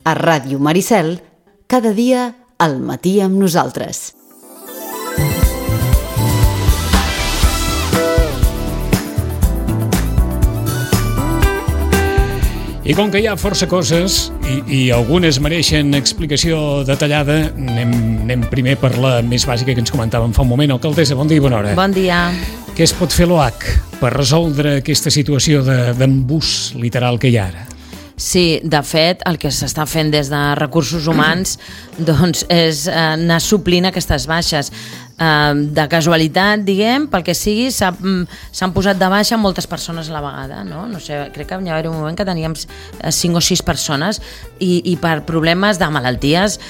A Ràdio Maricel, cada dia al matí amb nosaltres. I com que hi ha força coses i algunes mereixen explicació detallada, anem primer per la més bàsica que ens comentàvem fa un moment. Alcaldessa, bon dia i bona hora. Bon dia. Què es pot fer l'OAC per resoldre aquesta situació d'embús literal que hi ha ara? Sí, de fet, el que s'està fent des de Recursos Humans doncs és anar suplint aquestes baixes. De casualitat, diguem, pel que sigui, s'han posat de baixa moltes persones a la vegada, no? No sé, crec que hi va haver un moment que teníem 5 o 6 persones i per problemes de malalties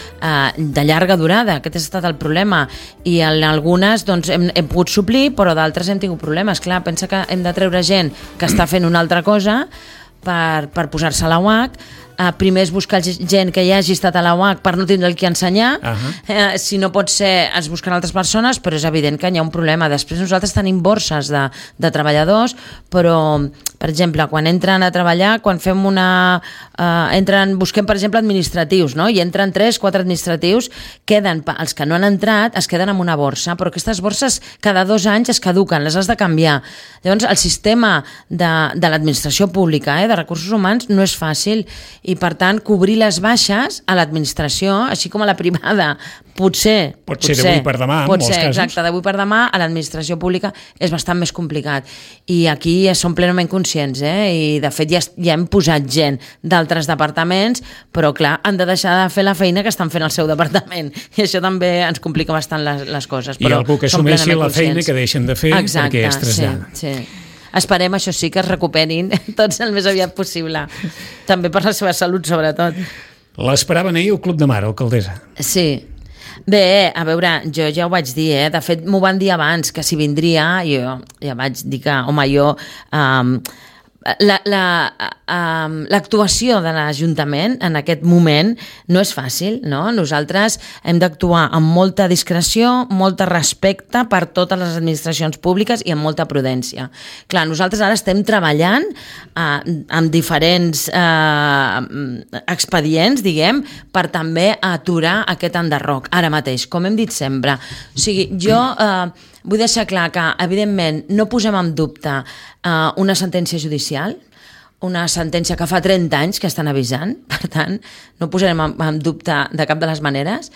de llarga durada. Aquest ha estat el problema. I en algunes doncs, hem pogut suplir, però d'altres hem tingut problemes. Clar, pensa que hem de treure gent que està fent una altra cosa per posar-se a la UAC. Primer és buscar gent que ja hagi estat a la UAC per no tindre el que ensenyar. Si no pot ser, es busquen altres persones, però és evident que hi ha un problema. Després nosaltres tenim borses de treballadors, però, per exemple, quan entren a treballar, quan fem busquem, per exemple, administratius, no? I entren 3-4 administratius, els que no han entrat es queden amb una borsa, però aquestes borses cada 2 anys es caduquen, les has de canviar. Llavors, el sistema de l'administració pública, de recursos humans, no és fàcil. I, per tant, cobrir les baixes a l'administració, així com a la privada, potser d'avui per demà, en molts casos. Exacte, d'avui per demà, a l'administració pública és bastant més complicat. I aquí som plenament conscients, i de fet ja hem posat gent d'altres departaments, però clar, han de deixar de fer la feina que estan fent al seu departament. I això també ens complica bastant les coses. I algú que assumeixi la feina que deixen de fer. Exacte, perquè és traslladada. Sí. Esperem, això sí, que es recuperin tots el més aviat possible. També per la seva salut, sobretot. L'esperaven ahir al Club de Mar, alcaldessa. Sí. Bé, a veure, jo ja ho vaig dir, de fet m'ho van dir abans, que si vindria, jo ja vaig dir que, home, jo... L'actuació de l'Ajuntament en aquest moment no és fàcil, no? Nosaltres hem d'actuar amb molta discreció, molt respecte per totes les administracions públiques i amb molta prudència. Clar, nosaltres ara estem treballant amb diferents expedients, diguem, per també aturar aquest enderroc, ara mateix, com hem dit sempre. O sigui, jo... vull deixar clar que, evidentment, no posem en dubte una sentència judicial, una sentència que fa 30 anys que estan avisant, per tant, no posarem en dubte de cap de les maneres,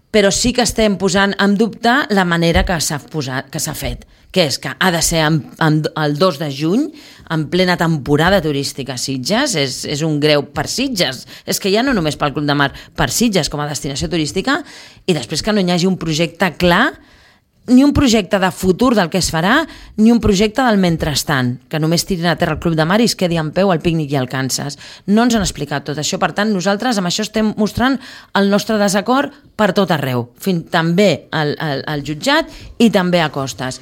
però sí que estem posant en dubte la manera que s'ha fet, que és que ha de ser el 2 de juny, en plena temporada turística a Sitges, és un greu per Sitges, és que ja no només pel Club de Mar, per Sitges com a destinació turística, i després que no hi hagi un projecte clar, ni un projecte de futur del que es farà, ni un projecte del mentrestant, que només tirin a terra el Club de Mar i es quedi en peu al pícnic i al Kansas. No ens han explicat tot això, per tant, nosaltres amb això estem mostrant el nostre desacord per tot arreu, també al jutjat i també a costes.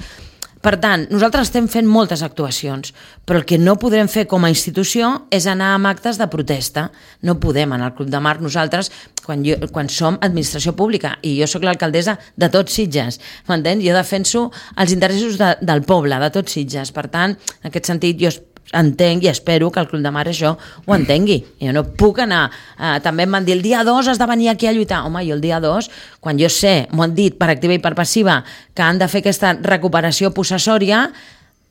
Per tant, nosaltres estem fent moltes actuacions, però el que no podrem fer com a institució és anar amb actes de protesta. No podem anar al Club de Mar nosaltres quan som administració pública, i jo sóc l'alcaldessa de tots Sitges, m'entens? Jo defenso els interessos del poble, de tots Sitges. Per tant, en aquest sentit, jo entenc i espero que el Club de Mar això ho entengui. Jo no puc anar... també em van dir, el dia 2 has de venir aquí a lluitar. Home, jo el dia 2, quan jo sé, m'ho han dit per activa i per passiva, que han de fer aquesta recuperació possessòria,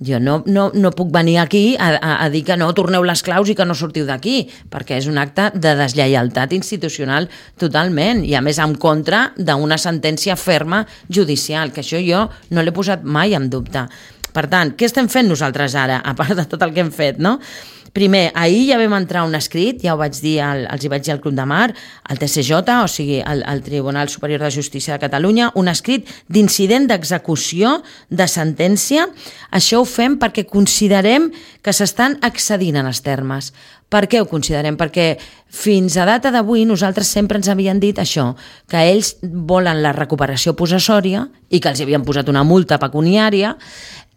jo no puc venir aquí a dir que no, torneu les claus i que no sortiu d'aquí, perquè és un acte de deslleialtat institucional totalment, i a més en contra d'una sentència ferma judicial, que això jo no l'he posat mai en dubte. Per tant, què estem fent nosaltres ara, a part de tot el que hem fet, no? Primer, ahir ja vam entrar un escrit, ja ho vaig dir, els hi vaig dir al Club de Mar, al TCJ, o sigui, al Tribunal Superior de Justícia de Catalunya, un escrit d'incident d'execució de sentència. Això ho fem perquè considerem que s'estan excedint en els termes. Per què ho considerem? Perquè fins a data d'avui nosaltres sempre ens havien dit això, que ells volen la recuperació possessòria i que els havien posat una multa pecuniària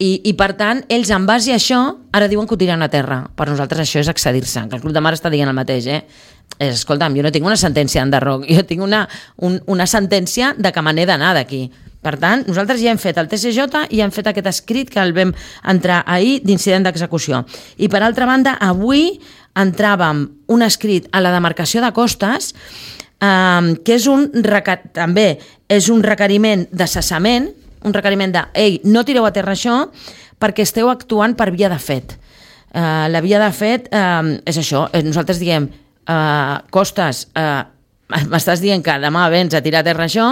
i per tant, ells en base a això ara diuen que ho tiren a terra. Per nosaltres això és excedir-se, que el Club de Mar està dient el mateix, escolta'm, jo no tinc una sentència d'enderroc, jo tinc una sentència de que me n'he d'anar d'aquí. Per tant, nosaltres ja hem fet el TCJ i hem fet aquest escrit que el vam entrar ahir d'incident d'execució. I per altra banda, avui entràvem un escrit a la demarcació de costes que és també és un requeriment de cessament, un requeriment de ei, no tireu a terra això perquè esteu actuant per via de fet. La via de fet és això, nosaltres diem Costes, m'estàs dient que demà vens a tirar a terra això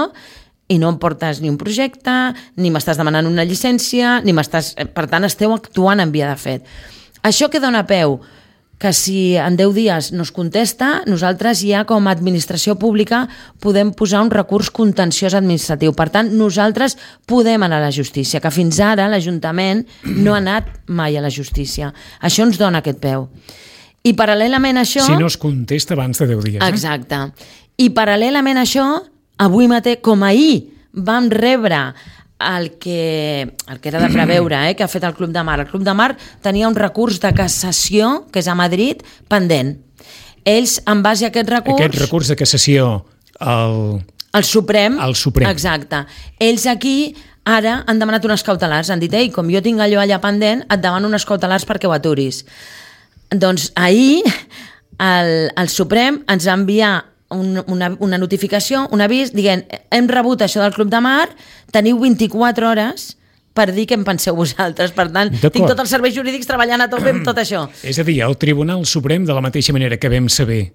i no em portes ni un projecte, ni m'estàs demanant una llicència, per tant, esteu actuant en via de fet. Això que dona peu que si en 10 dies no es contesta, nosaltres ja com a administració pública podem posar un recurs contenciós administratiu. Per tant, nosaltres podem anar a la justícia, que fins ara l'Ajuntament no ha anat mai a la justícia. Això ens dona aquest peu. I paral·lelament a això... Si no es contesta abans de 10 dies. Exacte. I paral·lelament a això, avui mateix, com ahir vam rebre el que era de preveure, que ha fet el Club de Mar. El Club de Mar tenia un recurs de cassació, que és a Madrid, pendent. Ells, en base a aquest recurs... Aquest recurs de cassació al Suprem. Al Suprem. Exacte. Ells aquí ara han demanat unes cautelars. Han dit, ei, com jo tinc allò allà pendent, et demano unes cautelars perquè ho aturis. Doncs ahir el Suprem ens va enviar una notificació, un avís, dient hem rebut això del Club de Mar, teniu 24 hores per dir què en penseu vosaltres. Per tant, tinc tots els serveis jurídics treballant a tope amb tot això. És a dir, el Tribunal Suprem, de la mateixa manera que vam saber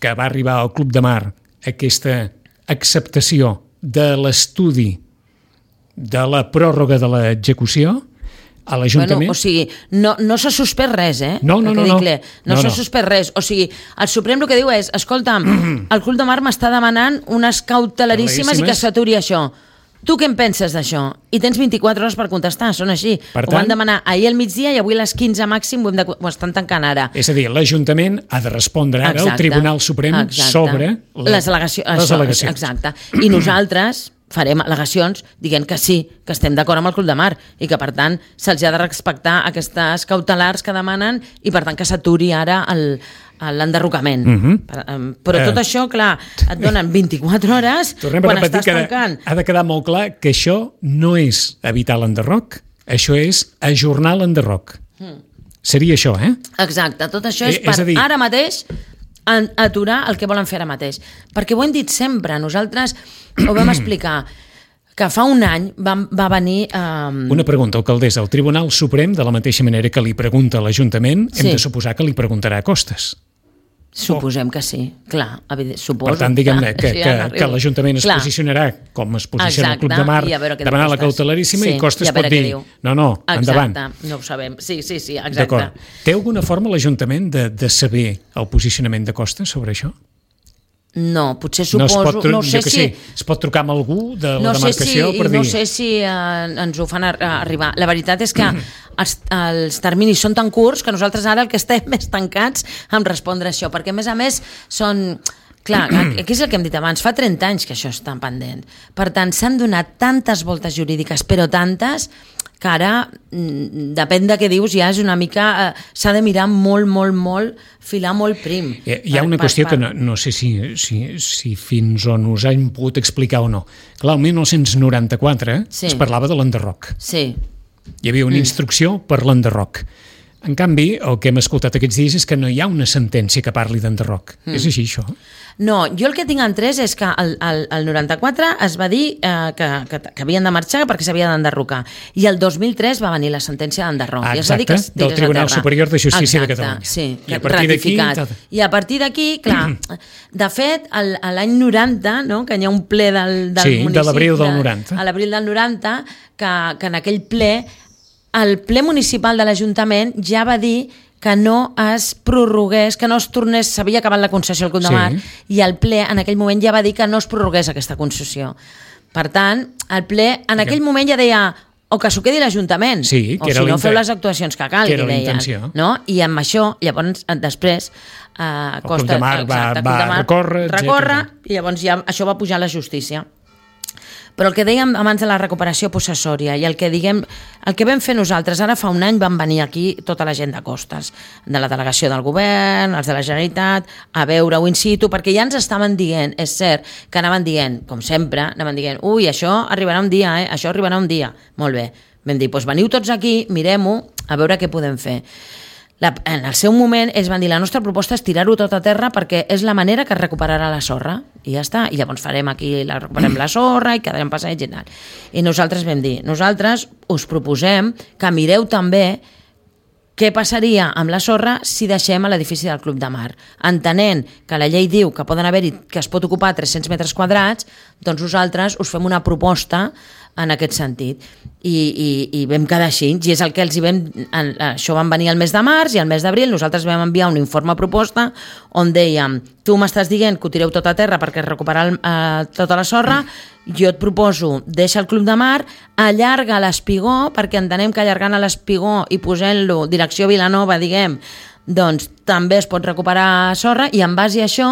que va arribar al Club de Mar aquesta acceptació de l'estudi de la pròrroga de l'execució, a l'Ajuntament... Bueno, o sigui, no s'ha suspès res, No s'ha suspès res. O sigui, el Suprem el que diu és, escolta'm, el Club de Mar m'està demanant unes cautelaríssimes i que s'aturi això. Tu què en penses d'això? I tens 24 hores per contestar, són així. Ho van demanar ahir al migdia i avui a les 15 màxim ho estan tancant ara. És a dir, l'Ajuntament ha de respondre ara al Tribunal Suprem sobre les al·legacions. Exacte. I nosaltres farem al·legacions dient que sí, que estem d'acord amb el Club de Mar i que, per tant, se'ls ha de respectar aquestes cautelars que demanen i, per tant, que s'aturi ara l'enderrocament. Però tot això, clar, et donen 24 hores quan estàs tancant. Ha de quedar molt clar que això no és evitar l'enderroc, això és ajornar l'enderroc. Seria això, Exacte, tot això és per ara mateix aturar el que volen fer ara mateix. Perquè ho hem dit sempre, nosaltres ho vam explicar, que fa un any va venir... Una pregunta, alcaldessa. El Tribunal Suprem, de la mateixa manera que li pregunta a l'Ajuntament, hem de suposar que li preguntarà a Costes. Suposem que sí, clar, suposo. Per tant, diguem-ne que l'Ajuntament es posicionarà com es posiciona el Club de Mar, demanant la cautelaríssima i Costes pot dir no, endavant. Exacte, no ho sabem. Sí, exacte. D'acord. Té alguna forma l'Ajuntament de saber el posicionament de Costes sobre això? No, potser suposo... No sé si... Es pot trucar amb algú de la demarcació per dir... No sé si ens ho fan arribar. La veritat és que els terminis són tan curts que nosaltres ara el que estem és tancats amb respondre això, perquè a més són... Clar, què és el que hem dit abans? Fa 30 anys que això està pendent. Per tant, s'han donat tantes voltes jurídiques, però tantes, que ara, depèn de què dius, ja és una mica... s'ha de mirar molt, filar molt prim. Hi ha una qüestió que no sé si fins on us han pogut explicar o no. Clar, el 1994 es parlava de l'enderroc. Sí. Hi havia una instrucció per l'enderroc. En canvi, el que hem escoltat aquests dies és que no hi ha una sentència que parli d'enderroc. És així, això? No, jo el que tinc entès és que el 94 es va dir que havien de marxar perquè s'havia d'enderrocar. I el 2003 va venir la sentència d'enderroc. Exacte, del Tribunal Superior de Justícia de Catalunya. Sí, ratificat. I a partir d'aquí, clar, de fet, l'any 90, que hi ha un ple del municipi... Sí, de l'abril del 90. A l'abril del 90, que en aquell ple... El ple municipal de l'Ajuntament ja va dir que no es prorrogués, que no es tornés, s'havia acabat la concessió al Club de Mar, i el ple en aquell moment ja va dir que no es prorrogués aquesta concessió. Per tant, el ple en aquell moment ja deia o que s'ho quedi l'Ajuntament, o si no feu les actuacions que calgui, deien. No? I amb això, llavors, després, el Club de Mar va recórrer, i llavors ja això va pujar a la justícia. Però el que dèiem abans de la recuperació possessòria i el que vam fer nosaltres, ara fa un any van venir aquí tota la gent de Costes, de la delegació del govern, els de la Generalitat, a veure-ho in situ, perquè ja ens estaven dient, és cert, que anaven dient, com sempre, anaven dient, ui, això arribarà un dia, això arribarà un dia. Molt bé, vam dir, doncs veniu tots aquí, mirem-ho, a veure què podem fer. En el seu moment ells van dir la nostra proposta és tirar-ho tot a terra perquè és la manera que es recuperarà la sorra i ja està, i llavors farem aquí recuperem la sorra i quedarem passeig i tal. I nosaltres vam dir, nosaltres us proposem que mireu també què passaria amb la sorra si deixem a l'edifici del Club de Mar. Entenent que la llei diu que poden haver-hi, que es pot ocupar 300 metres quadrats, doncs nosaltres us fem una proposta en aquest sentit. I vam quedar així, i és el que els hi vam... Això van venir el mes de març i el mes d'abril nosaltres vam enviar un informe proposta on dèiem, tu m'estàs dient que ho tireu tot a terra perquè es recuperar tota la sorra, jo et proposo, deixa el Club de Mar, allarga l'espigó, perquè entenem que allargant l'espigó i posant-lo direcció Vilanova, diguem, doncs també es pot recuperar sorra, i en base a això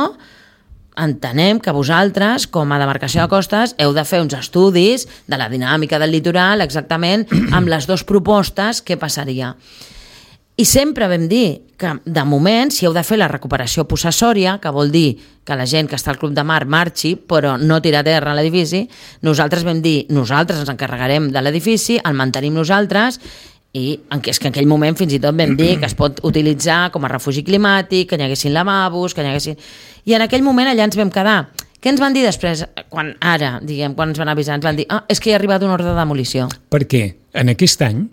entenem que vosaltres, com a demarcació de Costes, heu de fer uns estudis de la dinàmica del litoral, exactament, amb les dues propostes, què passaria. I sempre vam dir que, de moment, si heu de fer la recuperació possessòria, que vol dir que la gent que està al Club de Mar marxi, però no tira a terra l'edifici, nosaltres vam dir, nosaltres ens encarregarem de l'edifici, el mantenim nosaltres, i és que en aquell moment fins i tot vam dir que es pot utilitzar com a refugi climàtic, que hi haguessin lavabos, que hi haguessin... I en aquell moment allà ens vam quedar. Què ens van dir després? Quan ens van avisar, ens van dir és que hi ha arribat un ordre de demolició. Perquè en aquest any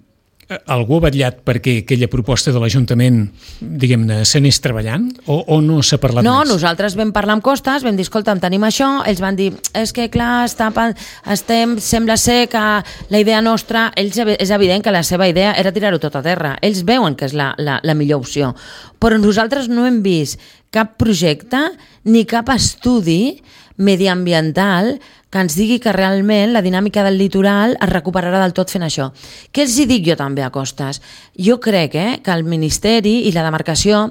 algú ha vetllat perquè aquella proposta de l'Ajuntament, diguem-ne, s'anés treballant o no s'ha parlat més? No, nosaltres vam parlar amb Costes, vam dir, escolta, tenim això, ells van dir, és que clar, sembla ser que la idea nostra, és evident que la seva idea era tirar-ho tot a terra, ells veuen que és la millor opció, però nosaltres no hem vist cap projecte ni cap estudi mediambiental que ens digui que realment la dinàmica del litoral es recuperarà del tot fent això. Què els hi dic jo també a Costes? Jo crec que el Ministeri i la demarcació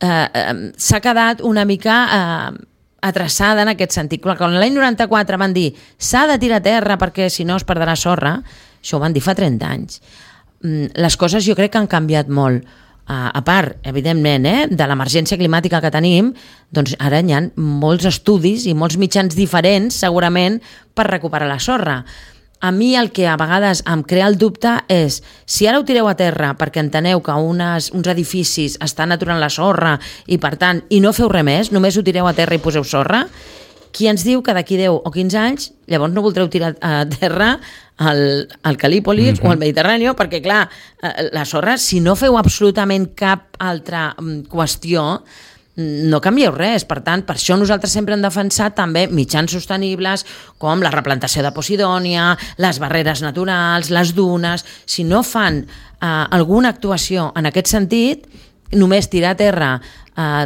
s'ha quedat una mica atreçada en aquest sentit. Quan l'any 94 van dir s'ha de tirar a terra perquè si no es perdrà sorra, això ho van dir fa 30 anys. Les coses jo crec que han canviat molt. A part, evidentment, de l'emergència climàtica que tenim, doncs ara hi ha molts estudis i molts mitjans diferents, segurament, per recuperar la sorra. A mi el que a vegades em crea el dubte és, si ara ho tireu a terra perquè enteneu que uns edificis estan aturant la sorra i, per tant, i no feu res més, només ho tireu a terra i poseu sorra, qui ens diu que d'aquí 10 o 15 anys llavors no voldreu tirar a terra al Calípolis o al Mediterrani, perquè clar, la sorra, si no feu absolutament cap altra qüestió, no canvieu res. Per tant, per això nosaltres sempre hem defensat també mitjans sostenibles com la replantació de Posidònia, les barreres naturals, les dunes. Si no fan alguna actuació en aquest sentit, només tirar a terra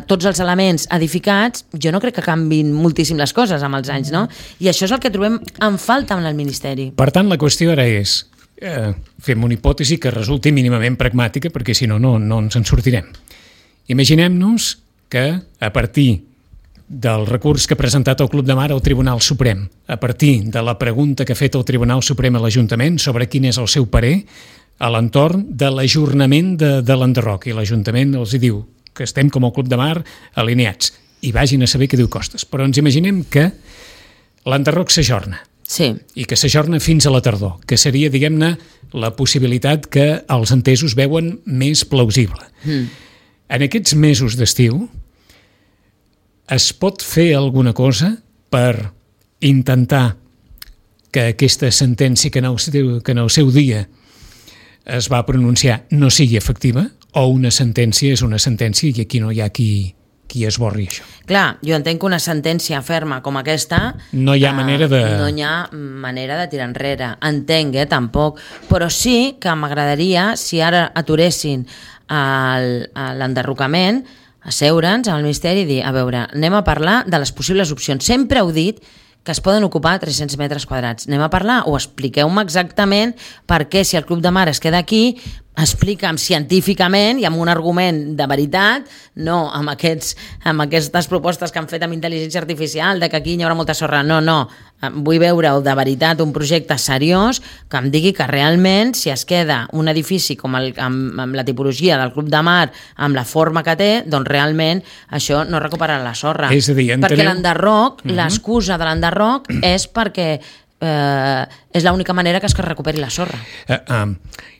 tots els elements edificats, jo no crec que canvin moltíssim les coses amb els anys, no? I això és el que trobem en falta en el Ministeri. Per tant, la qüestió ara és fem una hipòtesi que resulti mínimament pragmàtica, perquè si no, no ens en sortirem. Imaginem-nos que a partir del recurs que ha presentat el Club de Mar al Tribunal Suprem, a partir de la pregunta que ha fet el Tribunal Suprem a l'Ajuntament sobre quin és el seu parer a l'entorn de l'ajornament de l'enderroc, i l'Ajuntament els diu que estem com el Club de Mar alineats, i vagin a saber què diu Costes. Però ens imaginem que l'enderroc s'ajorna, sí, i que s'ajorna fins a la tardor, que seria, diguem-ne, la possibilitat que els entesos veuen més plausible. En aquests mesos d'estiu es pot fer alguna cosa per intentar que aquesta sentència que en el seu dia es va pronunciar no sigui efectiva, o una sentència és una sentència i aquí no hi ha qui esborri això? Clar, jo entenc que una sentència ferma com aquesta no hi ha manera de tirar enrere, entenc, tampoc, però sí que m'agradaria, si ara aturessin l'enderrocament, asseure'ns al Ministeri i dir, a veure, anem a parlar de les possibles opcions. Sempre heu dit que es poden ocupar 300 metres quadrats. Anem a parlar o expliqueu-me exactament per què, si el Club de Mar es queda aquí, explica'm científicament i amb un argument de veritat, no amb aquestes propostes que han fet amb intel·ligència artificial de que aquí hi haurà molta sorra. No. Vull veure-ho de veritat, un projecte seriós que em digui que realment, si es queda un edifici com amb la tipologia del Club de Mar, amb la forma que té, doncs realment això no recuperarà la sorra. És a dir, perquè l'enderroc, l'excusa de l'enderroc és perquè és l'única manera que es recuperi la sorra.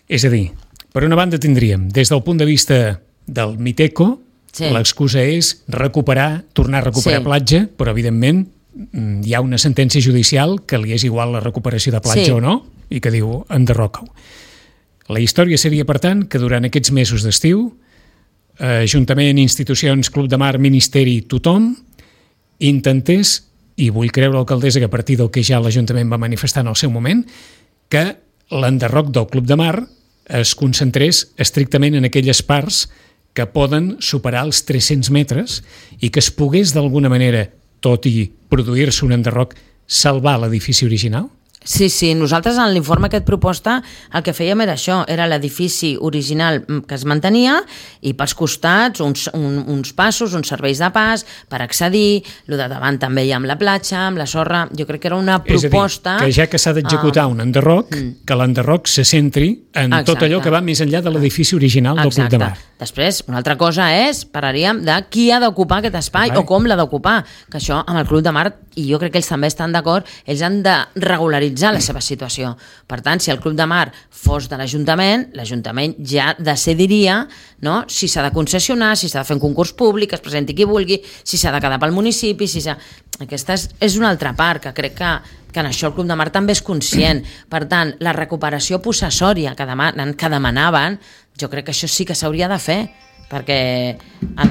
És a dir, per una banda tindríem, des del punt de vista del Miteco, l'excusa és tornar a recuperar platja, però evidentment hi ha una sentència judicial que li és igual la recuperació de platja o no, i que diu enderroca-ho. La història seria, per tant, que durant aquests mesos d'estiu, Ajuntament, institucions, Club de Mar, Ministeri, tothom, intentés, i vull creure l'alcaldessa que a partir del que ja l'Ajuntament va manifestar en el seu moment, que l'enderroc del Club de Mar es concentrés estrictament en aquelles parts que poden superar els 300 metres i que es pogués d'alguna manera, tot i produir-se un enderroc, salvar l'edifici original? Sí, nosaltres en l'informe aquest proposta el que fèiem era això, era l'edifici original que es mantenia i pels costats uns passos, uns serveis de pas per accedir, el de davant també hi ha amb la platja, amb la sorra, jo crec que era una proposta... És a dir, que ja que s'ha d'executar un enderroc, que l'enderroc se centri en tot allò que va més enllà de l'edifici original del Club de Mar. Després, una altra cosa és, parlaríem de qui ha d'ocupar aquest espai o com l'ha d'ocupar, que això amb el Club de Mar, i jo crec que ells també estan d'acord, ells han de regularitzar la seva situació. Per tant, si el Club de Mar fos de l'Ajuntament ja decidiria, no?, si s'ha de concessionar, si s'ha de fer un concurs públic, es presenti qui vulgui, si s'ha de quedar pel municipi, aquesta és una altra part, que crec que en això el Club de Mar també és conscient. Per tant, la recuperació possessòria que demanaven, jo crec que això sí que s'hauria de fer, perquè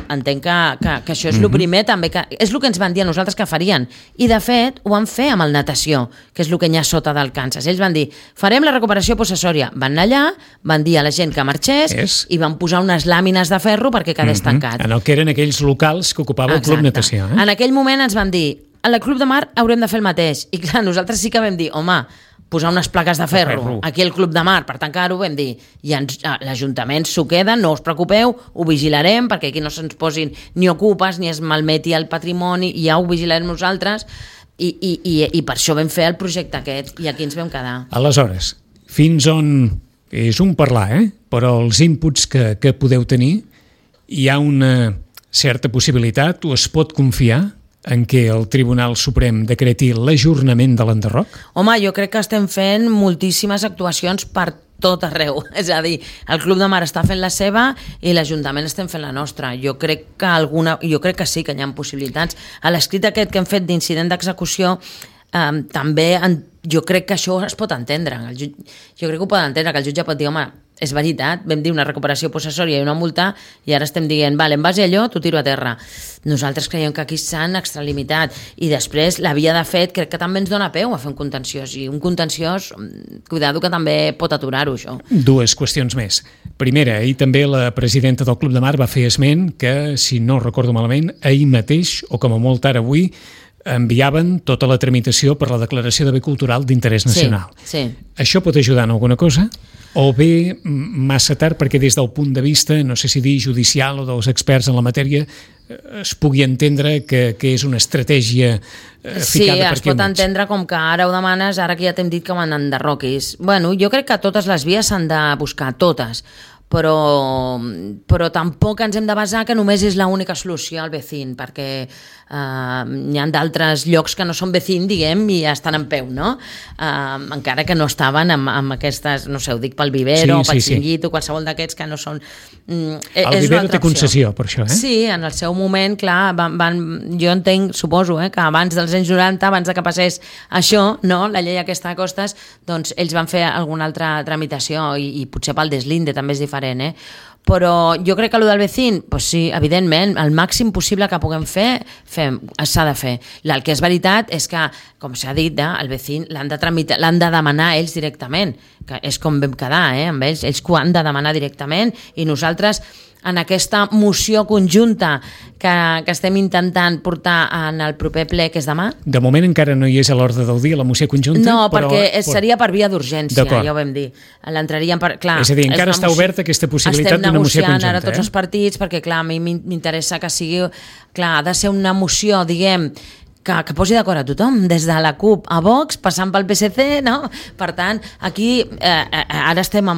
entenc que això és el primer també, que és el que ens van dir a nosaltres que farien, i de fet ho van fer amb el natació, que és el que hi ha sota del Kansas. Ells van dir, farem la recuperació possessòria, van anar allà, van dir a la gent que marxés i van posar unes làmines de ferro perquè quedés tancat. En el que eren aquells locals que ocupava el Club Natació. En aquell moment ens van dir, al Club de Mar haurem de fer el mateix, i clar, nosaltres sí que vam dir, home, posar unes plaques de ferro aquí al Club de Mar per tancar-ho, vam dir, i l'Ajuntament s'ho queda, no us preocupeu, ho vigilarem perquè aquí no se'ns posin ni ocupes ni es malmeti el patrimoni, ja ho vigilarem nosaltres, i per això vam fer el projecte aquest, i aquí ens vam quedar. Aleshores, fins on és un parlar, però els inputs que podeu tenir, hi ha una certa possibilitat o es pot confiar en què el Tribunal Suprem decreti l'ajornament de l'enderroc? Home, jo crec que estem fent moltíssimes actuacions per tot arreu. És a dir, el Club de Mar està fent la seva i l'Ajuntament estem fent la nostra. Jo crec que sí que hi ha possibilitats. A l'escrit aquest que hem fet d'incident d'execució també jo crec que això es pot entendre. Jo crec que ho pot entendre, que el jutge pot dir, home, és veritat, vam dir una recuperació possessòria i una multa i ara estem dient, vale, en base a allò t'ho tiro a terra. Nosaltres creiem que aquí s'han extralimitat i després la via de fet crec que també ens dona peu a fer un contenciós, i un contenciós, cuidado que també pot aturar-ho, això. Dues qüestions més. Primera, ahir també la presidenta del Club de Mar va fer esment que, si no recordo malament, ahir mateix, o com a molt ara avui, enviaven tota la tramitació per la declaració de bé cultural d'interès nacional. Sí. Això pot ajudar en alguna cosa? O bé massa tard perquè des del punt de vista, no sé si dir judicial o dels experts en la matèria, es pugui entendre que és una estratègia ficada per aquí? Sí, es pot entendre com que ara ho demanes, ara que ja t'hem dit que van enderroquis. Bueno, jo crec que totes les vies s'han de buscar, totes, però tampoc ens hem de basar que només és l'única solució al vecín, perquè hi ha d'altres llocs que no són vecín, diguem, i ja estan en peu, no? Encara que no estaven amb aquestes, no sé, ho dic pel vivero, pel xinguito, qualsevol d'aquests que no són... El vivero té concessió, per això, Sí, en el seu moment, clar, jo entenc, suposo, que abans dels anys 90, abans de que passés això, no, la llei aquesta de costes, doncs ells van fer alguna altra tramitació i potser pel deslinde també és diferent, però jo crec que el del vecín, doncs sí, evidentment, el màxim possible que puguem fer, s'ha de fer. El que és veritat és que, com s'ha dit, el vecín l'han de demanar ells directament, que és com vam quedar amb ells que ho han de demanar directament, i nosaltres en aquesta moció conjunta que estem intentant portar en el proper ple, que és demà? De moment encara no hi és a l'ordre del dia la moció conjunta. No, perquè seria per via d'urgència, ja ho vam dir. L'entraríem per... Clar, és a dir, encara està oberta aquesta possibilitat d'una moció conjunta. Estem negociant ara tots els partits, perquè clar, a mi m'interessa que sigui... Clar, ha de ser una moció, diguem, que posi d'acord a tothom, des de la CUP a Vox, passant pel PSC, no? Per tant, aquí ara estem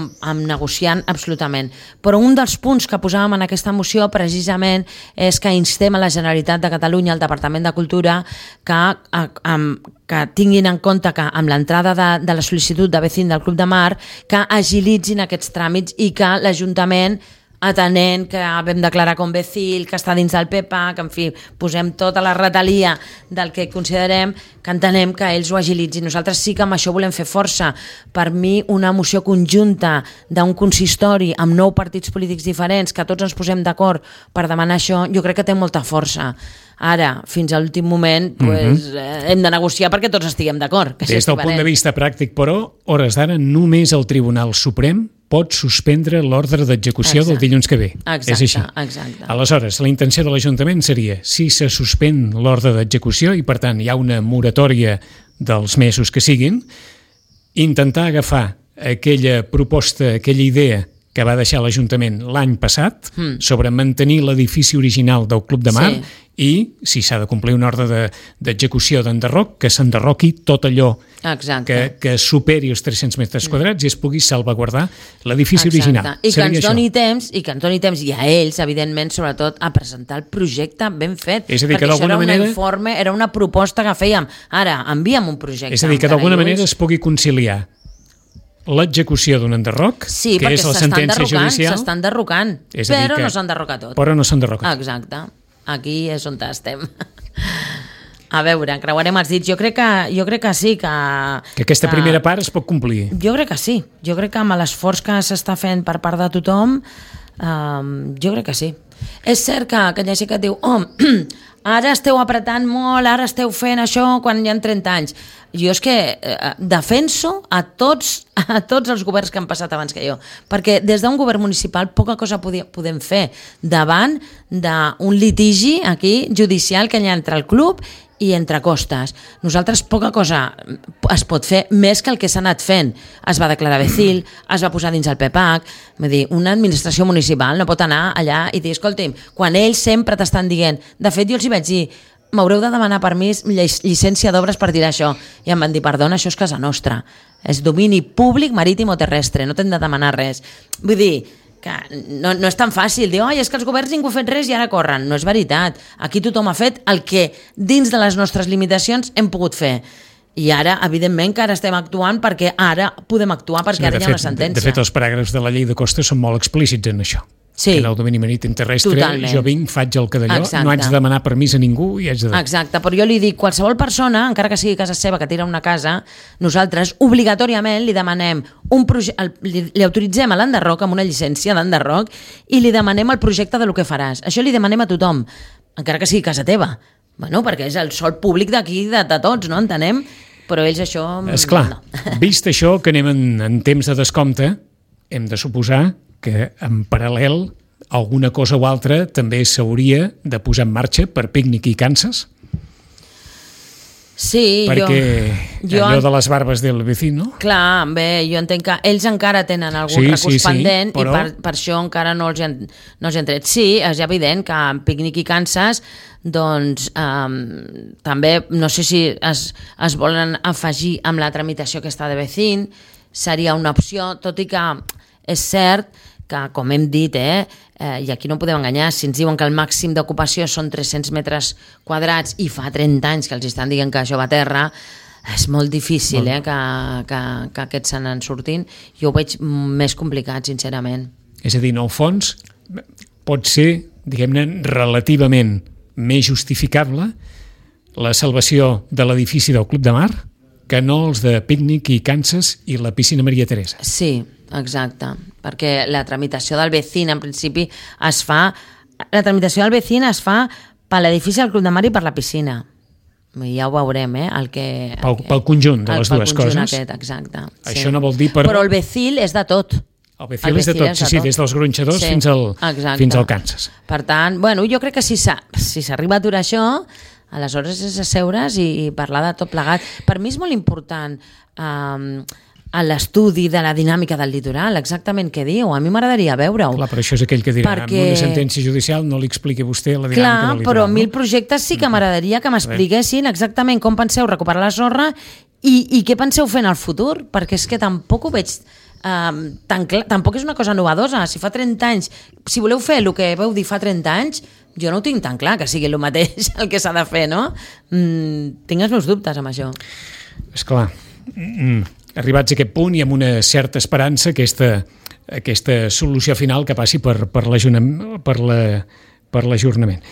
negociant absolutament. Però un dels punts que posàvem en aquesta moció precisament és que instem a la Generalitat de Catalunya, al Departament de Cultura, que tinguin en compte que amb l'entrada de la sol·licitud de Vecín del Club de Mar, que agilitzin aquests tràmits i que l'Ajuntament, atenent que vam declarar com Becil, que està dins del PEPA, que en fi, posem tota la retalia del que considerem, que entenem que ells ho agilitzin. Nosaltres sí que amb això volem fer força. Per mi, una moció conjunta d'un consistori amb 9 partits polítics diferents, que tots ens posem d'acord per demanar això, jo crec que té molta força. Ara, fins a l'últim moment, hem de negociar perquè tots estiguem d'acord. Des del punt de vista pràctic, però, hores d'ara, només el Tribunal Suprem pot suspendre l'ordre d'execució del dilluns que ve. Exacte, és així. Exacte. Aleshores, la intenció de l'Ajuntament seria, si se suspèn l'ordre d'execució i, per tant, hi ha una moratòria dels mesos que siguin, intentar agafar aquella proposta, aquella idea que va deixar l'Ajuntament l'any passat sobre mantenir l'edifici original del Club de Mar i, si s'ha de complir una ordre d'execució d'enderroc, que s'enderroqui tot allò que superi els 300 metres quadrats i es pugui salvaguardar l'edifici original. I que ens doni temps, i a ells, evidentment, sobretot, a presentar el projecte ben fet. És a dir, que d'alguna manera... Era una proposta que fèiem. Ara, envia'm un projecte. És a dir, que d'alguna manera es pugui conciliar l'execució d'un enderroc, que és la sentència judicial... S'està enderrocant, però no s'enderroca tot. Però no s'enderroca. Exacte. Aquí és on estem. A veure, creuarem els dits. Jo crec que sí, que aquesta primera part es pot complir. Jo crec que sí. Jo crec que amb l'esforç que s'està fent per part de tothom, jo crec que sí. És cert que hi ha gent que et diu ara esteu apretant molt, ara esteu fent això quan hi ha 30 anys. Jo és que defenso a tots els governs que han passat abans que jo, perquè des d'un govern municipal poca cosa podem fer davant d'un litigi aquí judicial que hi ha entre el club i entre costes. Nosaltres poca cosa es pot fer més que el que s'ha anat fent. Es va declarar Becil, es va posar dins el PEPAC, vull dir, una administració municipal no pot anar allà i dir, escolti'm, quan ells sempre t'estan dient, de fet jo els hi vaig dir, m'haureu de demanar permís, llicència d'obres per tirar això. I em van dir, perdona, això és casa nostra. És domini públic, marítim o terrestre, no t'hem de demanar res. Vull dir, que no és tan fàcil dir, és que els governs ningú ha fet res i ara corren. No és veritat. Aquí tothom ha fet el que dins de les nostres limitacions hem pogut fer. I ara, evidentment, que ara estem actuant perquè ara podem actuar perquè ara hi ha una sentència. De fet, els paràgrafs de la llei de costes són molt explícits en això. Sí. Que en el domini marítim terrestre Totalment. Jo vinc, faig el que d'allò, no haig de demanar permís a ningú i haig de... Exacte, però jo li dic, qualsevol persona, encara que sigui casa seva, que tira una casa, nosaltres obligatòriament li demanem un li autoritzem a l'enderroc amb una llicència d'enderroc i li demanem el projecte de lo que faràs. Això li demanem a tothom, encara que sigui casa teva. Bueno, perquè és el sòl públic d'aquí de tots, no? Entenem? Però ells això... Esclar, no. Vist això, que anem en temps de descompte, hem de suposar que en paral·lel alguna cosa o altra també s'hauria de posar en marxa per Pícnic i Kansas? Sí, perquè allò de les barbes del vecino... Clar, bé, jo entenc que ells encara tenen algun recurs pendent però... i per això encara no els han tret. Sí, és evident que en Pícnic i Kansas doncs també, no sé si es volen afegir amb la tramitació aquesta de Vecín, seria una opció, tot i que és cert que, com hem dit, i aquí no podem enganyar, si ens diuen que el màxim d'ocupació són 300 metres quadrats i fa 30 anys que els estan dient que això va a terra, és molt difícil que aquests se n'en surtin. Jo ho veig més complicat, sincerament. És a dir, en el fons, pot ser, diguem-ne, relativament més justificable la salvació de l'edifici del Club de Mar que no els de Pícnic i Kansas i la piscina Maria Teresa. Sí, exacte, perquè la tramitació del Vecín en principi es fa per l'edifici del Club de Mar i per la piscina. Ja ho veurem, pel conjunt de les dues coses. Aquest, exacte. Això no vol dir... Però el Becil és de tot. El Beciel és de tot, sí, des dels gronxadors fins al Kansas. Per tant, bueno, jo crec que si s'arriba a aturar això, aleshores és asseure's i parlar de tot plegat. Per mi és molt important a l'estudi de la dinàmica del litoral, exactament què diu. A mi m'agradaria veure-ho. Clar, però això és aquell que dirà, amb una sentència judicial no li expliqui vostè la dinàmica del litoral. Clar, però a mi el projecte sí que m'agradaria que m'expliquessin exactament com penseu recuperar la sorra i què penseu fer en el futur, perquè és que tampoc ho veig tan clar, tampoc és una cosa novedosa. Si fa 30 anys, si voleu fer el que veu dir fa 30 anys, jo no ho tinc tan clar que sigui el mateix el que s'ha de fer, no? Tinc els meus dubtes amb això. Esclar, arribats a aquest punt i amb una certa esperança aquesta solució final que passi per l'ajornament.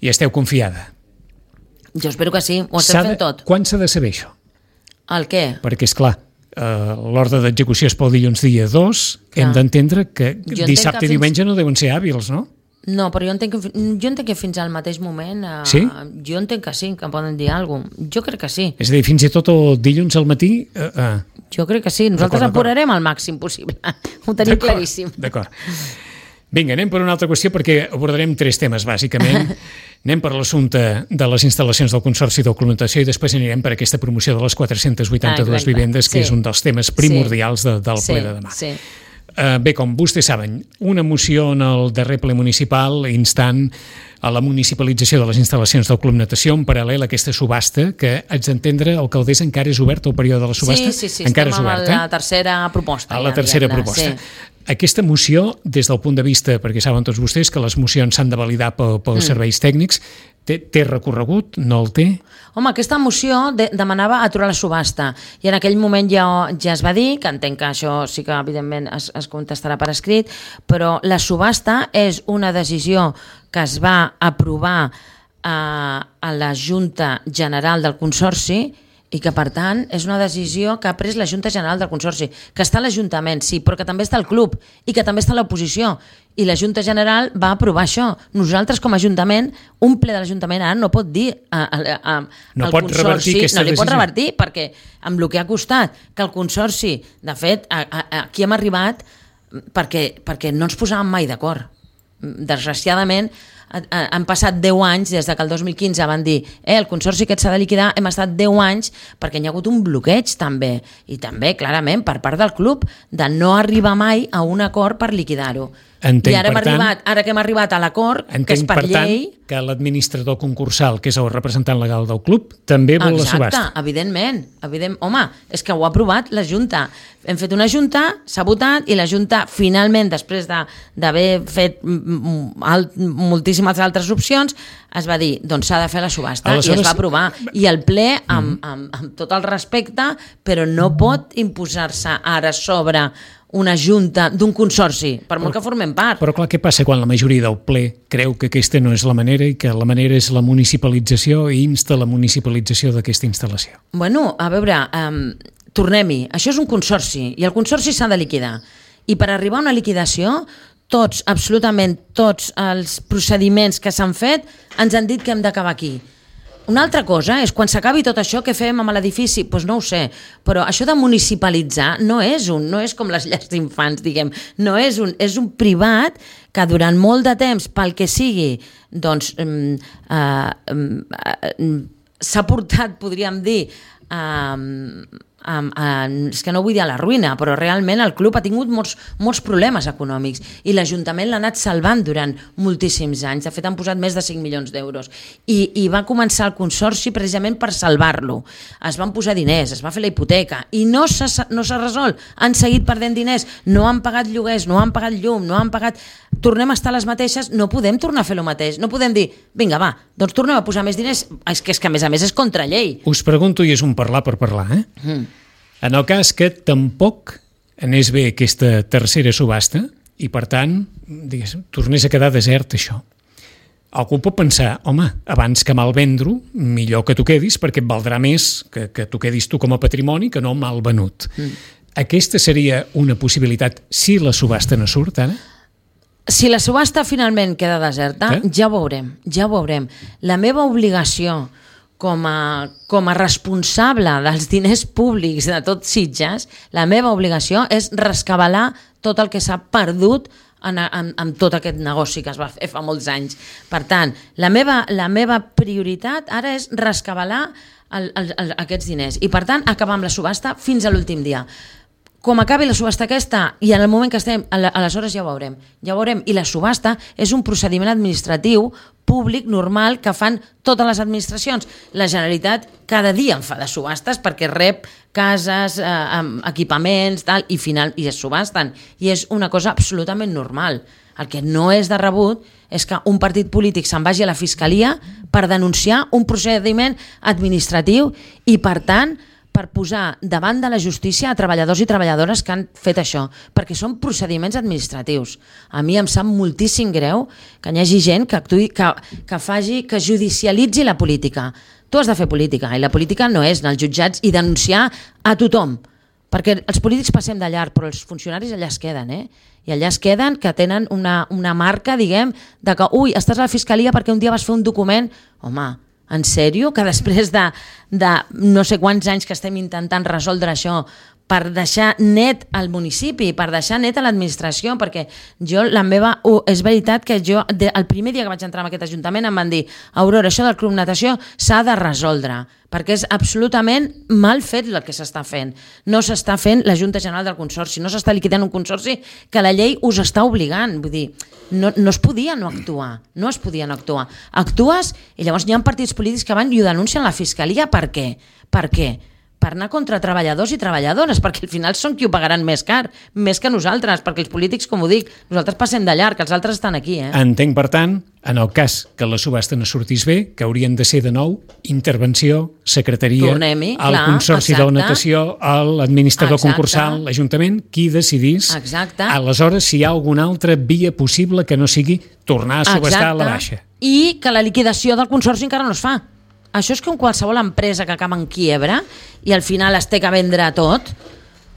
I esteu confiada? Jo espero que sí, ho estem fent tot. Quan s'ha de saber això? El què? Perquè, esclar, l'ordre d'execució es pot dilluns dia 2, hem d'entendre que dissabte i diumenge no deuen ser hàbils, no? No, però jo entenc que fins al mateix moment... Sí? Jo entenc que sí, que em poden dir alguna cosa. Jo crec que sí. És a dir, fins i tot el dilluns al matí... Jo crec que sí. Nosaltres apurarem al màxim possible. Ho tenim claríssim. D'acord. Vinga, anem per una altra qüestió perquè abordarem 3 temes, bàsicament. Anem per l'assumpte de les instal·lacions del Consorci d'Aclimatació i després anirem per aquesta promoció de les 482 vivendes, que és un dels temes primordials del ple de demà. Sí. Bé, com vostès saben, una moció en el darrer ple municipal instant a la municipalització de les instal·lacions del Club Natació en paral·lel a aquesta subhasta que, haig d'entendre, Alcaldessa, encara és obert el període de la subhasta? Sí, estem a la tercera proposta. A la tercera proposta. Aquesta moció, des del punt de vista, perquè saben tots vostès que les mocions s'han de validar pels serveis tècnics, té recorregut? No el té? Home, aquesta moció demanava aturar la subhasta i en aquell moment ja es va dir, que entenc que això sí que evidentment es contestarà per escrit, però la subhasta és una decisió que es va aprovar a la Junta General del Consorci i que, per tant, és una decisió que ha pres la Junta General del Consorci, que està a l'Ajuntament, sí, però que també està al club i que també està a l'oposició. I la Junta General va aprovar això. Nosaltres, com a Ajuntament, un ple de l'Ajuntament ara no pot dir al Consorci... No li pot revertir, perquè amb el que ha costat que el Consorci, de fet, aquí hem arribat perquè no ens posàvem mai d'acord. Desgraciadament, han passat 10 anys, des que el 2015 van dir el Consorci aquest s'ha de liquidar, hem estat 10 anys perquè hi ha hagut un bloqueig també, i també clarament per part del club de no arribar mai a un acord per liquidar-ho. I ara que hem arribat a l'acord, que és per llei... que l'administrador concursal, que és el representant legal del club, també vol la subhasta. Exacte, evidentment. Home, és que ho ha aprovat la Junta. Hem fet una Junta, s'ha votat, i la Junta, finalment, després d'haver fet moltíssimes altres opcions, es va dir, doncs s'ha de fer la subhasta, i es va aprovar. I el ple, amb tot el respecte, però no pot imposar-se ara sobre una junta d'un consorci, per molt que formem part. Però clar, què passa quan la majoria del ple creu que aquesta no és la manera i que la manera és la municipalització i insta la municipalització d'aquesta instal·lació? Bueno, a veure, tornem-hi. Això és un consorci i el consorci s'ha de liquidar. I per arribar a una liquidació, absolutament tots els procediments que s'han fet ens han dit que hem d'acabar aquí. Una altra cosa és, quan s'acabi tot això, què fem amb l'edifici? Doncs no ho sé, però això de municipalitzar no és com les llars d'infants, diguem, és un privat que durant molt de temps, pel que sigui, doncs s'ha portat, podríem dir, és que no vull dir a la ruïna, però realment el club ha tingut molts problemes econòmics i l'Ajuntament l'ha anat salvant durant moltíssims anys. De fet, han posat més de 5 milions d'euros i va començar el consorci precisament per salvar-lo. Es van posar diners, es va fer la hipoteca i no s'ha resolt. Han seguit perdent diners, no han pagat lloguers, no han pagat llum, no han pagat... Tornem a estar a les mateixes, no podem tornar a fer el mateix. No podem dir, vinga, va, doncs tornem a posar més diners. És que a més és contra llei. Us pregunto, i és un parlar per parlar, En el cas que tampoc anés bé aquesta tercera subhasta i, per tant, tornés a quedar desert això, algú pot pensar, home, abans que mal vendre-ho, millor que t'ho quedis perquè et valdrà més que t'ho quedis tu com a patrimoni que no mal venut. Aquesta seria una possibilitat si la subhasta no surt, ara? Si la subhasta finalment queda deserta, ja ho veurem. La meva obligació com a responsable dels diners públics de tot Sitges, la meva obligació és rescabalar tot el que s'ha perdut amb tot aquest negoci que es va fer fa molts anys. Per tant, la meva prioritat ara és rescabalar aquests diners i, per tant, acabar amb la subhasta fins a l'últim dia. Com acabi la subhasta aquesta i en el moment que estem, aleshores ja ho veurem. I la subhasta és un procediment administratiu públic, normal, que fan totes les administracions. La Generalitat cada dia en fa de subhastes perquè rep cases, equipaments, tal, i es subhasten. I és una cosa absolutament normal. El que no és de rebut és que un partit polític se'n vagi a la Fiscalia per denunciar un procediment administratiu i, per tant, per posar davant de la justícia a treballadors i treballadores que han fet això, perquè són procediments administratius. A mi em sap moltíssim greu que hi hagi gent que actuï, que judicialitzi la política. Tu has de fer política, i la política no és anar als jutjats i denunciar a tothom, perquè els polítics passem de llarg, però els funcionaris allà es queden, i allà es queden que tenen una marca, diguem, de que, estàs a la Fiscalia perquè un dia vas fer un document. Home, en sèrio? Que després de no sé quants anys que estem intentant resoldre això per deixar net al municipi, per deixar net a l'administració, perquè és veritat que jo, el primer dia que vaig entrar en aquest ajuntament em van dir: Aurora, això del club natació s'ha de resoldre, perquè és absolutament mal fet el que s'està fent. No s'està fent la Junta General del Consorci, no s'està liquidant un consorci que la llei us està obligant. Vull dir, no es podia no actuar, Actues i llavors hi ha partits polítics que van i ho denuncien a la Fiscalia. Per què? Per anar contra treballadors i treballadores, perquè al final són qui ho pagaran més car, més que nosaltres, perquè els polítics, com ho dic, nosaltres passem de llarg, els altres estan aquí. Entenc, per tant, en el cas que la subhasta no sortís bé, que haurien de ser de nou intervenció, secretaria, el Consorci de la Natació, l'administrador concursal, l'Ajuntament, qui decidís. Exacte. Aleshores, si hi ha alguna altra via possible que no sigui tornar a subhastar a la baixa. I que la liquidació del Consorci encara no es fa. Això és com qualsevol empresa que acaba en quiebra i al final es té que vendre tot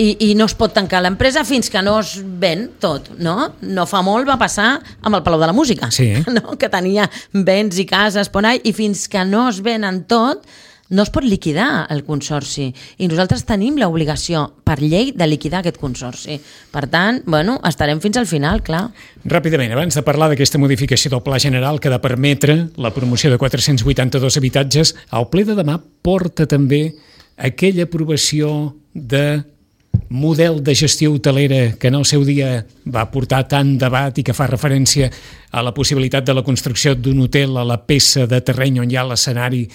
i no es pot tancar l'empresa fins que no es ven tot, no? No fa molt va passar amb el Palau de la Música, no? Que tenia béns i cases i fins que no es venen tot no es pot liquidar el Consorci i nosaltres tenim l'obligació per llei de liquidar aquest Consorci. Per tant, estarem fins al final, clar. Ràpidament, abans de parlar d'aquesta modificació del Pla General que ha de permetre la promoció de 482 habitatges, el ple de demà porta també aquella aprovació de model de gestió hotelera que en el seu dia va portar tant debat i que fa referència a la possibilitat de la construcció d'un hotel a la peça de terreny on hi ha l'escenari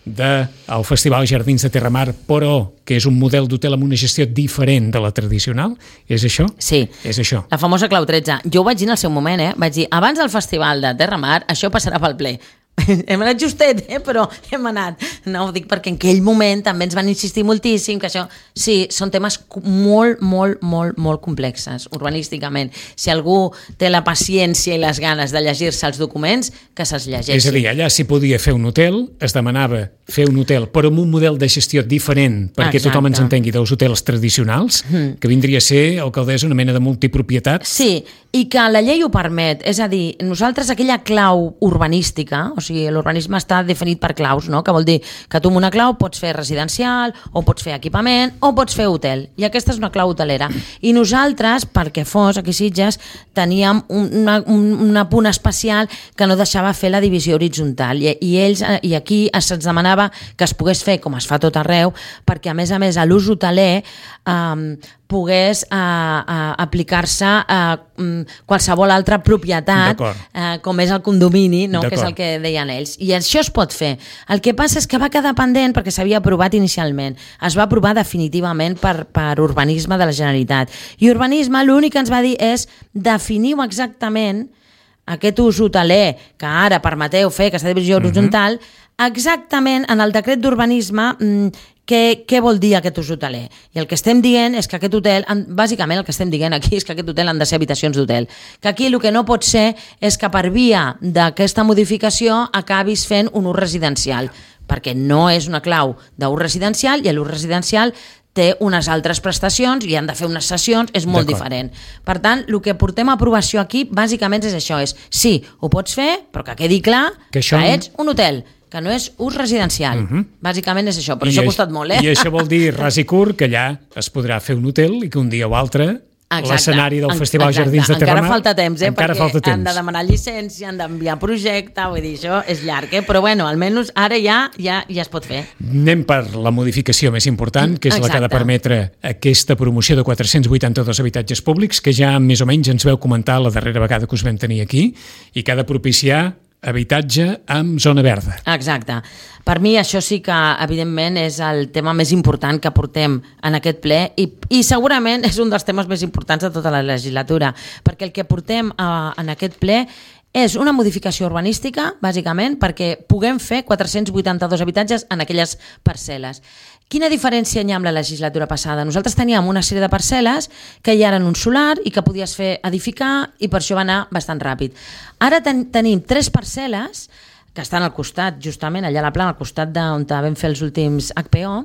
del Festival Jardins de Terramar, però que és un model d'hotel amb una gestió diferent de la tradicional. És això? Sí. És això. La famosa clau 13. Jo ho vaig dir en el seu moment, Vaig dir, abans del Festival de Terramar, això passarà pel ple. Hem anat justet, però hem anat. No, ho dic perquè en aquell moment també ens van insistir moltíssim que això... Sí, són temes molt complexes, urbanísticament. Si algú té la paciència i les ganes de llegir-se els documents, que se'ls llegeixi. És a dir, allà s'hi podia fer un hotel, es demanava fer un hotel, però amb un model de gestió diferent, perquè tothom ens entengui dels hotels tradicionals, que vindria a ser, alcaldessa, una mena de multipropietat. Sí, i que la llei ho permet. És a dir, nosaltres aquella clau urbanística, o sigui, l'urbanisme està definit per claus, no? Que vol dir que tu amb una clau pots fer residencial, o pots fer equipament, o pots fer hotel. I aquesta és una clau hotelera. I nosaltres, perquè fos aquí a Sitges, teníem un punt especial que no deixava fer la divisió horitzontal. I aquí se'ns demanava que es pogués fer, com es fa tot arreu, perquè a més a l'ús hoteler pogués aplicar-se a qualsevol altra propietat, com és el condomini, no? Que és el que deien ells. I això es pot fer. El que passa és que va quedar pendent perquè s'havia aprovat inicialment. Es va aprovar definitivament per urbanisme de la Generalitat. I urbanisme l'únic que ens va dir és definiu exactament aquest ús hoteler que ara permeteu fer aquesta divisió horitzontal, exactament en el decret d'urbanisme què vol dir aquest ús hoteler. I el que estem dient és que aquest hotel, bàsicament el que estem dient aquí és que aquest hotel han de ser habitacions d'hotel. Que aquí el que no pot ser és que per via d'aquesta modificació acabis fent un ús residencial, perquè no és una clau d'ús residencial i l'ús residencial té unes altres prestacions i han de fer unes sessions, és molt diferent. Per tant, el que portem a aprovació aquí bàsicament és això, és sí, ho pots fer, però que quedi clar que ets un hotel, que no és ús residencial. Bàsicament és això, però això ha costat molt, I això vol dir, ras i curt, que allà es podrà fer un hotel i que un dia o altre l'escenari del Festival Jardins de Terramar. Encara falta temps, encara falta temps. Han de demanar llicència, han d'enviar projecte, vull dir, això és llarg, però bueno, almenys ara ja es pot fer. Anem per la modificació més important, que és la que ha de permetre aquesta promoció de 482 habitatges públics, que ja més o menys ens veu comentar la darrera vegada que us vam tenir aquí, i que ha de propiciar habitatge amb zona verda. Exacte. Per mi això sí que, evidentment, és el tema més important que portem en aquest ple i segurament és un dels temes més importants de tota la legislatura, perquè el que portem en aquest ple és una modificació urbanística, bàsicament, perquè puguem fer 482 habitatges en aquelles parcel·les. Quina diferència hi ha amb la legislatura passada? Nosaltres teníem una sèrie de parcel·les que ja eren un solar i que podies fer edificar i per això va anar bastant ràpid. Ara tenim 3 parcel·les que estan al costat, justament allà a la plana, al costat d'on vam fer els últims HPO,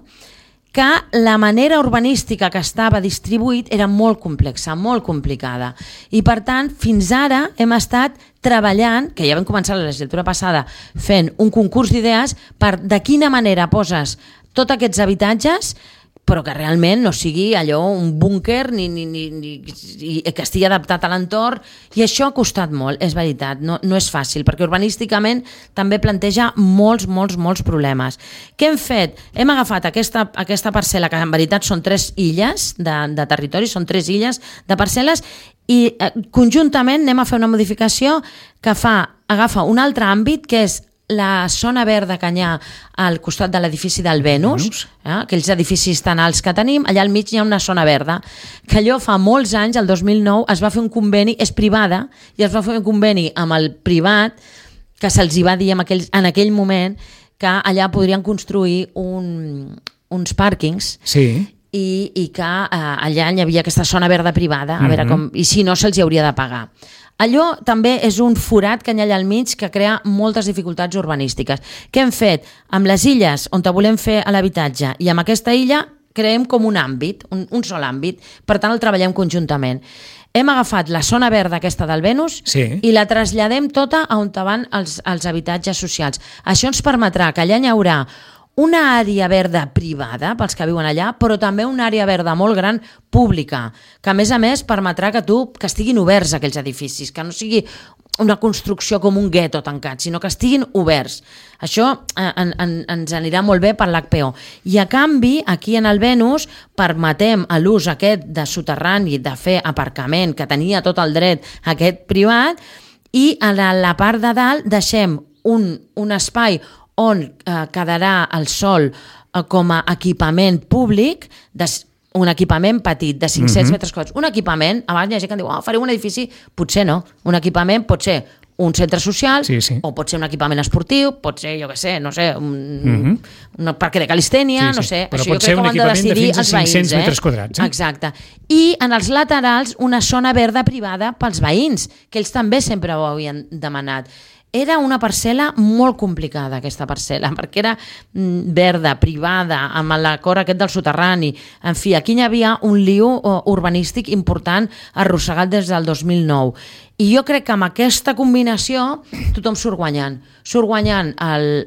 que la manera urbanística que estava distribuït era molt complexa, molt complicada. I per tant, fins ara hem estat treballant, que ja vam començar la legislatura passada, fent un concurs d'idees per de quina manera poses tots aquests habitatges però que realment no sigui allò un búnquer ni que estigui adaptat a l'entorn, i això ha costat molt, és veritat, no és fàcil, perquè urbanísticament també planteja molts problemes. Què hem fet? Hem agafat aquesta parcel·la, que en veritat són 3 illes de territori, són 3 illes de parcel·les, i conjuntament anem a fer una modificació que agafa un altre àmbit, que és la zona verda que hi ha al costat de l'edifici del Venus, aquells edificis tan alts que tenim, allà al mig hi ha una zona verda, que allò fa molts anys, el 2009, es va fer un conveni, és privada, i es va fer un conveni amb el privat, que se'ls va dir en aquell moment que allà podrien construir uns pàrquings, sí, i que allà hi havia aquesta zona verda privada, a veure com, i si no se'ls hauria de pagar. Allò també és un forat que hi ha allà al mig que crea moltes dificultats urbanístiques. Què hem fet? Amb les illes on volem fer l'habitatge i amb aquesta illa creem com un àmbit, un sol àmbit, per tant el treballem conjuntament. Hem agafat la zona verda aquesta del Venus i la traslladem tota a on van els habitatges socials. Això ens permetrà que allà hi haurà una àrea verda privada pels que viuen allà, però també una àrea verda molt gran pública, que a més permetrà que estiguin oberts aquells edificis, que no sigui una construcció com un gueto tancat, sinó que estiguin oberts. Això ens anirà molt bé per l'HPO. I a canvi, aquí en el Venus, permetem l'ús aquest de soterrani, de fer aparcament, que tenia tot el dret aquest privat, i a la part de dalt deixem un espai on quedarà el sòl com a equipament públic, un equipament petit de 500 metres quadrats. Un equipament, abans hi ha gent que diu, faré un edifici, potser no. Un equipament pot ser un centre social, o pot ser un equipament esportiu, pot ser, jo què sé, no sé, un parc de calistènia, no sé. Però pot ser un equipament de fins a 500 metres quadrats. Exacte. I en els laterals una zona verda privada pels veïns, que ells també sempre ho havien demanat. Era una parcel·la molt complicada, aquesta parcel·la, perquè era verda, privada, amb l'acord aquest del soterrani. En fi, aquí hi havia un lío urbanístic important arrossegat des del 2009. I jo crec que amb aquesta combinació tothom surt guanyant. Surt guanyant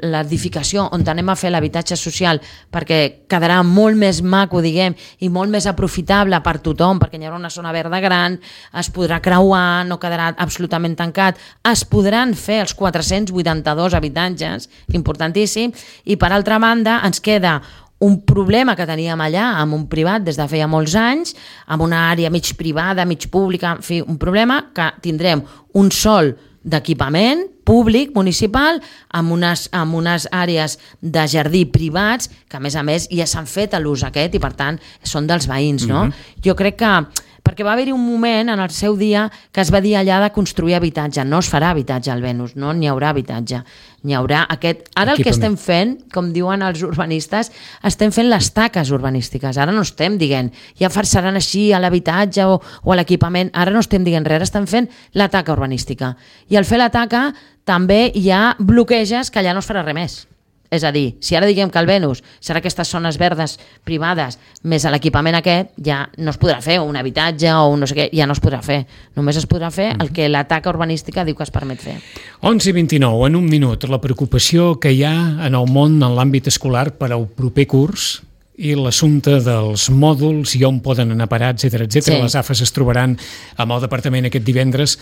l'edificació on anem a fer l'habitatge social, perquè quedarà molt més maco, diguem, i molt més aprofitable per tothom, perquè hi haurà una zona verda gran, es podrà creuar, no quedarà absolutament tancat, es podran fer els 482 habitatges, importantíssim, i per altra banda ens queda un problema que teníem allà amb un privat des de feia molts anys, amb una àrea mig privada, mig pública, en fi, un problema que tindrem un sòl d'equipament públic, municipal, amb unes àrees de jardí privats que a més ja s'han fet a l'ús aquest i per tant són dels veïns, no? Jo crec que perquè va haver-hi un moment en el seu dia que es va dir allà de construir habitatge. No es farà habitatge al Venus, no n'hi haurà habitatge. N'hi haurà aquest... Ara el que estem fent, com diuen els urbanistes, estem fent les taques urbanístiques. Ara no estem dient, ja seran així a l'habitatge o a l'equipament. Ara no estem dient res, ara estem fent la taca urbanística. I al fer la taca també hi ha bloqueges que allà no es farà res més. És a dir, si ara diguem que el Venus serà aquestes zones verdes privades més a l'equipament aquest, ja no es podrà fer un habitatge o no sé què, ja no es podrà fer. Només es podrà fer el que la taca urbanística diu que es permet fer. 11:29, en un minut, la preocupació que hi ha en el món, en l'àmbit escolar, per al proper curs, i l'assumpte dels mòduls i on poden anar a parar, etcètera. Sí. Les AFAs es trobaran amb el departament aquest divendres.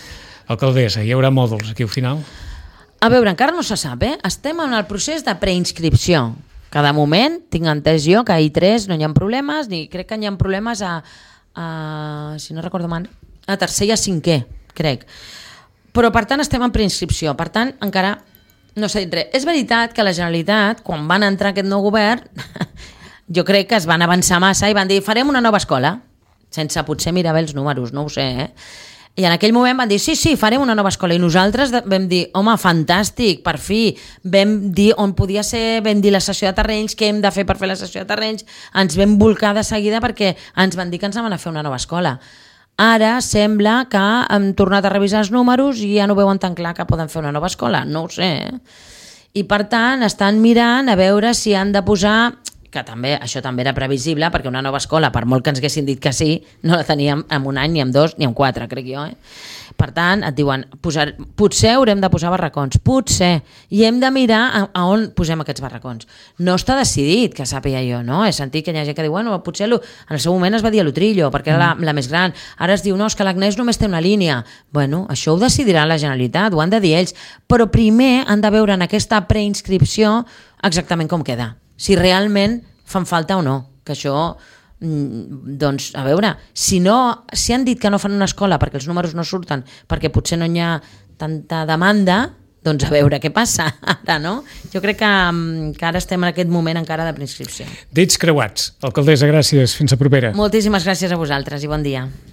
Alcaldessa, hi haurà mòduls aquí al final? A veure, encara no se sap, Estem en el procés de preinscripció. Cada moment tinc entès jo que a I3 no hi ha problemes, ni crec que hi ha problemes si no recordo mal, a tercer i a cinquè, crec. Però, per tant, estem en preinscripció. Per tant, encara no s'ha dit res. És veritat que la Generalitat, quan van entrar aquest nou govern, jo crec que es van avançar massa i van dir farem una nova escola, sense potser mirar bé els números, no ho sé, I en aquell moment van dir, sí, farem una nova escola. I nosaltres vam dir, home, fantàstic, per fi. Vam dir on podia ser, vam dir la sessió de terrenys, què hem de fer per fer la sessió de terrenys. Ens vam volcar de seguida perquè ens van dir que ens anaven a fer una nova escola. Ara sembla que hem tornat a revisar els números i ja no veuen tan clar que poden fer una nova escola. No ho sé. I per tant, estan mirant a veure si han de posar... que també, això també era previsible, perquè una nova escola, per molt que ens haguessin dit que sí, no la teníem en un any, ni en dos, ni en quatre, crec jo. Per tant, et diuen, potser haurem de posar barracons, potser, i hem de mirar a on posem aquests barracons. No està decidit, que sàpiga jo, no? He sentit que hi ha gent que diu, bueno, potser en el seu moment es va dir a l'Utrillo, perquè era la més gran. Ara es diu, no, és que l'Agnès només té una línia. Bueno, això ho decidirà la Generalitat, ho han de dir ells, però primer han de veure en aquesta preinscripció exactament com queda. Si realment fan falta o no, que això, doncs, a veure, si han dit que no fan una escola perquè els números no surten, perquè potser no hi ha tanta demanda, doncs a veure què passa ara, no? Jo crec que ara estem en aquest moment encara de preinscripció. Dits creuats. Alcaldessa, gràcies. Fins a propera. Moltíssimes gràcies a vosaltres i bon dia.